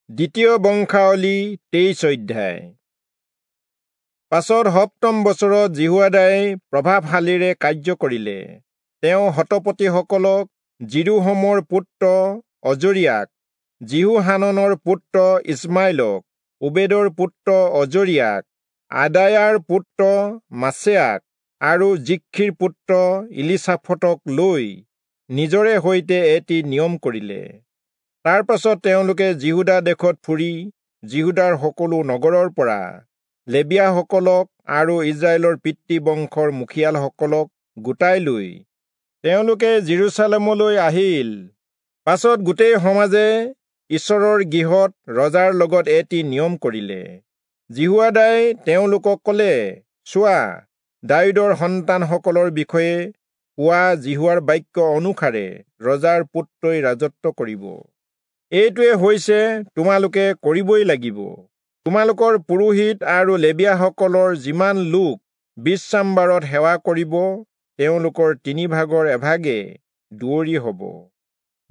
দ্বিতীয় বংশাৱলী 23 অধ্যায়। পাছত সপ্তম বছৰত যিহোয়াদাই প্ৰভাৱশালীৰে কাৰ্য কৰিলে। তেওঁ শতপতিসকলক যিৰোহমৰ পুত্ৰ অজৰিয়াক, যিহোহাননৰ পুত্ৰ ইছমাইলক, ওবেদৰ পুত্ৰ অজৰিয়াক, আদায়াৰ পুত্ৰ মাচেয়াক আৰু জিখ্ৰীৰ পুত্ৰ ইলিচাফটক লৈ নিজৰে সৈতে এটি নিয়ম কৰিলে। তাৰ পাছত তেওঁলোকে যিহূদা দেশত ফুৰি যিহূদাৰ সকলো নগৰৰ পৰা লেবীয়াসকলক আৰু ইস্ৰায়েলৰ পিতৃবংশৰ মুখিয়ালসকলক গোটাই লৈ তেওঁলোকে যিৰূচালেমলৈ আহিল। পাছত গোটেই সমাজে ঈশ্বৰৰ গৃহত ৰজাৰ লগত এটি নিয়ম কৰিলে। যিহোয়াদাই তেওঁলোকক ক'লে, চোৱা, দায়ূদৰ সন্তানসকলৰ বিষয়ে কোৱা যিহোৱাৰ বাক্য অনুসাৰে ৰজাৰ পুত্ৰই ৰাজত্ব কৰিব। এইটোৱে হৈছে তোমালোকে কৰিবই লাগিব। তোমালোকৰ পুৰোহিত আৰু লেবীয়াসকলৰ যিমান লোক বিশ্ৰামবাৰত সেৱা কৰিব, তেওঁলোকৰ 3 ভাগৰ এভাগে দুৱৰী হ'ব,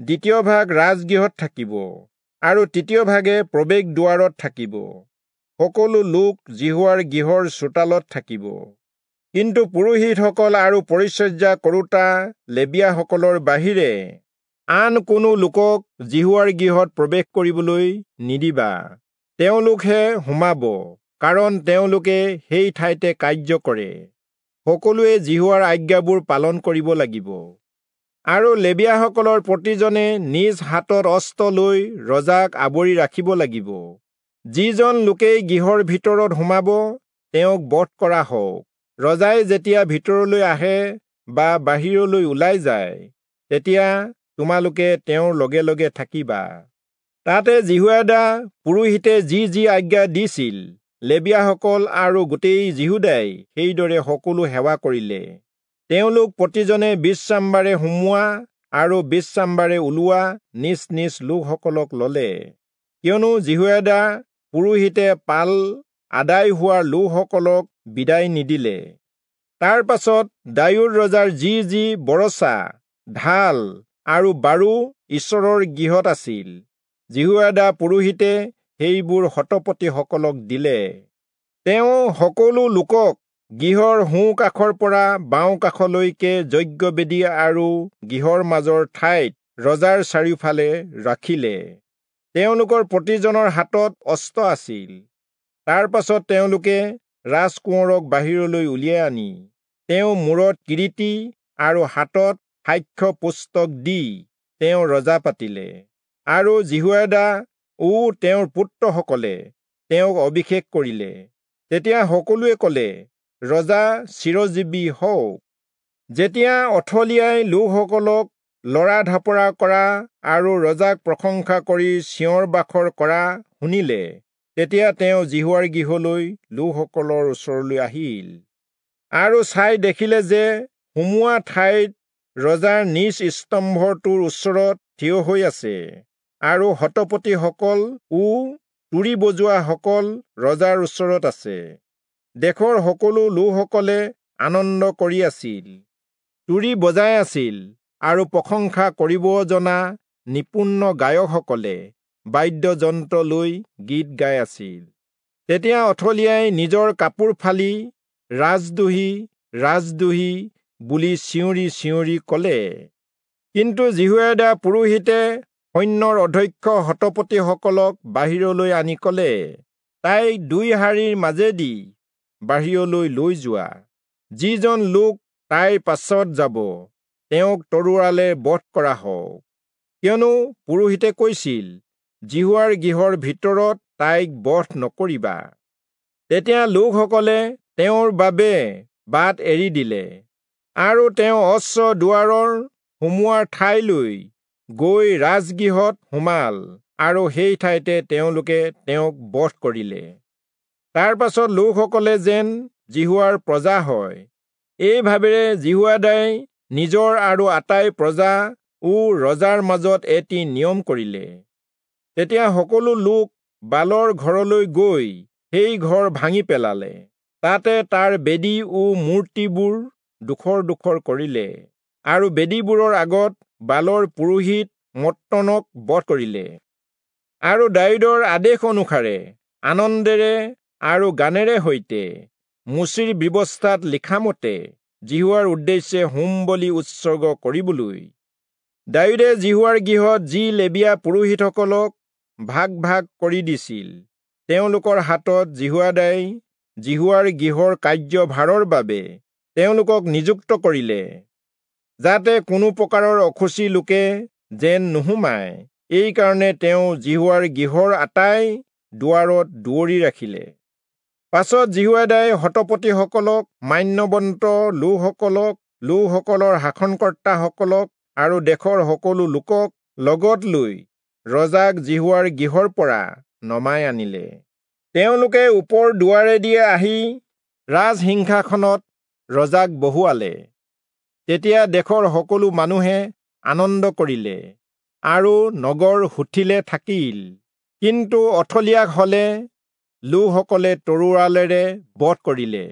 দ্বিতীয় ভাগ ৰাজগৃহত থাকিব আৰু তৃতীয় ভাগে প্ৰৱেশ দুৱাৰত থাকিব। সকলো লোক যিহোৱাৰ গৃহৰ চোতালত থাকিব। কিন্তু পুৰোহিতসকল আৰু পৰিচৰ্যা কৰোঁতা লেবীয়াসকলৰ বাহিৰে আন কোনো লোকক যিহোৱাৰ গৃহত প্ৰৱেশ কৰিবলৈ নিদিবা। তেওঁলোকহে সোমাব, কাৰণ তেওঁলোকে সেই ঠাইতে কাৰ্য কৰে। সকলোৱে যিহোৱাৰ আজ্ঞাবোৰ পালন কৰিব লাগিব। আৰু লেবীয়াসকলৰ প্ৰতিজনে নিজ হাতত অস্ত্ৰ লৈ ৰজাক আৱৰি ৰাখিব লাগিব। যিজন লোকেই গৃহৰ ভিতৰত সোমাব, তেওঁক বধ কৰা হওক। ৰজাই যেতিয়া ভিতৰলৈ আহে বা বাহিৰলৈ ওলাই যায়, তেতিয়া তোমালোকে তেওঁৰ লগে লগে থাকিবা। তাতে যিহোয়াদা পুৰোহিতে যি যি আজ্ঞা দিছিল, লেবীয়াসকল আৰু গোটেই যিহূদাই সেইদৰে সকলো সেৱা কৰিলে। তেওঁলোক প্ৰতিজনে বিশ্ৰামবাৰে সোমোৱা আৰু বিশ্ৰামবাৰে ওলোৱা নিজ নিজ লোকসকলক ললে। কিয়নো যিহোয়াদা পুৰোহিতে পাল আদায় হোৱা লোকসকলক বিদায় নিদিলে। তাৰ পাছত দায়ূদ ৰজাৰ যি যি বৰছা, ঢাল আৰু বাৰু ঈশ্বৰৰ গৃহত আছিল, যিহোয়াদা পুৰোহিতে সেইবোৰ শতপতিসকলক দিলে। তেওঁ সকলো লোকক গৃহৰ সোঁ কাষৰ পৰা বাওঁ কাষলৈকে যজ্ঞবেদী আৰু গৃহৰ মাজৰ ঠাইত ৰজাৰ চাৰিওফালে ৰাখিলে। তেওঁলোকৰ প্ৰতিজনৰ হাতত অস্ত্ৰ আছিল। তাৰ পাছত তেওঁলোকে ৰাজকোঁৱৰক বাহিৰলৈ উলিয়াই আনি তেওঁ মূৰত কিৰীটি আৰু হাতত সাক্ষ্য পুস্তক দি তেওঁ ৰজা পাতিলে। আৰু যিহোয়াদা ও তেওঁৰ পুত্ৰসকলে তেওঁক অভিষেক কৰিলে। তেতিয়া সকলোৱে ক'লে, ৰজা চিৰজীৱী হওক। যেতিয়া অথলিয়াই লোকসকলক লৰা ঢাপৰা কৰা আৰু ৰজাক প্ৰশংসা কৰি চিঞৰ বাখৰ কৰা শুনিলে, তেতিয়া তেওঁ যিহোৱাৰ গৃহলৈ লোকসকলৰ ওচৰলৈ আহিল আৰু চাই দেখিলে যে সোমোৱা ঠাইত ৰজাৰ নিজ স্তম্ভটোৰ ওচৰত থিয় হৈ আছে আৰু শতপতিসকল ও তুৰী বজোৱাসকল ৰজাৰ ওচৰত আছে। দেশৰ সকলো লোকসকলে আনন্দ কৰি আছিল, তুৰী বজাই আছিল আৰু প্ৰশংসা কৰিব জনা নিপুণ গায়কসকলে বাদ্যযন্ত্ৰ লৈ গীত গাই আছিল। তেতিয়া অথলিয়াই নিজৰ কাপোৰ ফালি ৰাজদ্ৰোহী, ৰাজদ্ৰোহী বুলি চিঞৰি চিঞৰি ক'লে। কিন্তু যিহোয়াদা পুৰোহিতে সৈন্যৰ অধ্যক্ষ শতপতিসকলক বাহিৰলৈ আনি ক'লে, তাইক 2 শাৰীৰ মাজেদি বাহিৰলৈ লৈ যোৱা। যিজন লোক তাইৰ পাছত যাব, তেওঁক তৰোৱালে বধ কৰা হওক। কিয়নো পুৰোহিতে কৈছিল, যিহোৱাৰ গৃহৰ ভিতৰত তাইক বধ নকৰিবা। তেতিয়া লোকসকলে তেওঁৰ বাবে বাট এৰি দিলে আৰু তেওঁ অশ্ব দুৱাৰৰ সোমোৱাৰ ঠাইলৈ গৈ ৰাজগৃহত সোমাল আৰু সেই ঠাইতে তেওঁলোকে তেওঁক বধ কৰিলে। তাৰ পাছত লোকসকলে যেন যিহোৱাৰ প্ৰজা হয়, এই ভাবেৰে যিহোয়াদাই নিজৰ আৰু আটাই প্ৰজা ও ৰজাৰ মাজত এটি নিয়ম কৰিলে। তেতিয়া সকলো লোক বালৰ ঘৰলৈ গৈ সেই ঘৰ ভাঙি পেলালে। তাতে তাৰ বেদী ও মূৰ্তিবোৰ ডোখৰ ডোখৰ কৰিলে আৰু বেদীবোৰৰ আগত বালৰ পুৰোহিত মত্তনক বধ কৰিলে। আৰু দায়ূদৰ আদেশ অনুসাৰে আনন্দেৰে আৰু গানেৰে সৈতে মোচিৰ ব্যৱস্থাত লিখামতে যিহোৱাৰ উদ্দেশ্যে হোম বলি উৎসৰ্গ কৰিবলৈ দায়ূদে যিহোৱাৰ গৃহত যি লেবীয়া পুৰোহিতসকলক ভাগ ভাগ কৰি দিছিল, তেওঁলোকৰ হাতত যিহোয়াদাই যিহোৱাৰ গৃহৰ কাৰ্যভাৰৰ বাবে তেওঁলোকক নিযুক্ত কৰিলে, যাতে কোনো প্ৰকাৰৰ অশুচি লোকে যেন নোসোমায়। এইকাৰণে তেওঁ যিহোৱাৰ গৃহৰ আটাই দুৱাৰত দুৱৰি ৰাখিলে। পাছত যিহোয়াদাই শতপতিসকলক, মান্যৱন্ত লোকসকলক, লোকসকলৰ শাসনকৰ্তাসকলক আৰু দেশৰ সকলো লোকক লগত লৈ ৰজাক যিহোৱাৰ গৃহৰ পৰা নমাই আনিলে। তেওঁলোকে ওপৰ দুৱাৰেদি আহি ৰাজসিংহাসনত ৰজাক বহুৱালে। তেতিয়া দেশৰ সকলো মানুহে আনন্দ কৰিলে আৰু নগৰ সুথিলে থাকিল। কিন্তু অথলিয়াক হলে লোকসকলে তৰোৱালেৰে বধ কৰিলে।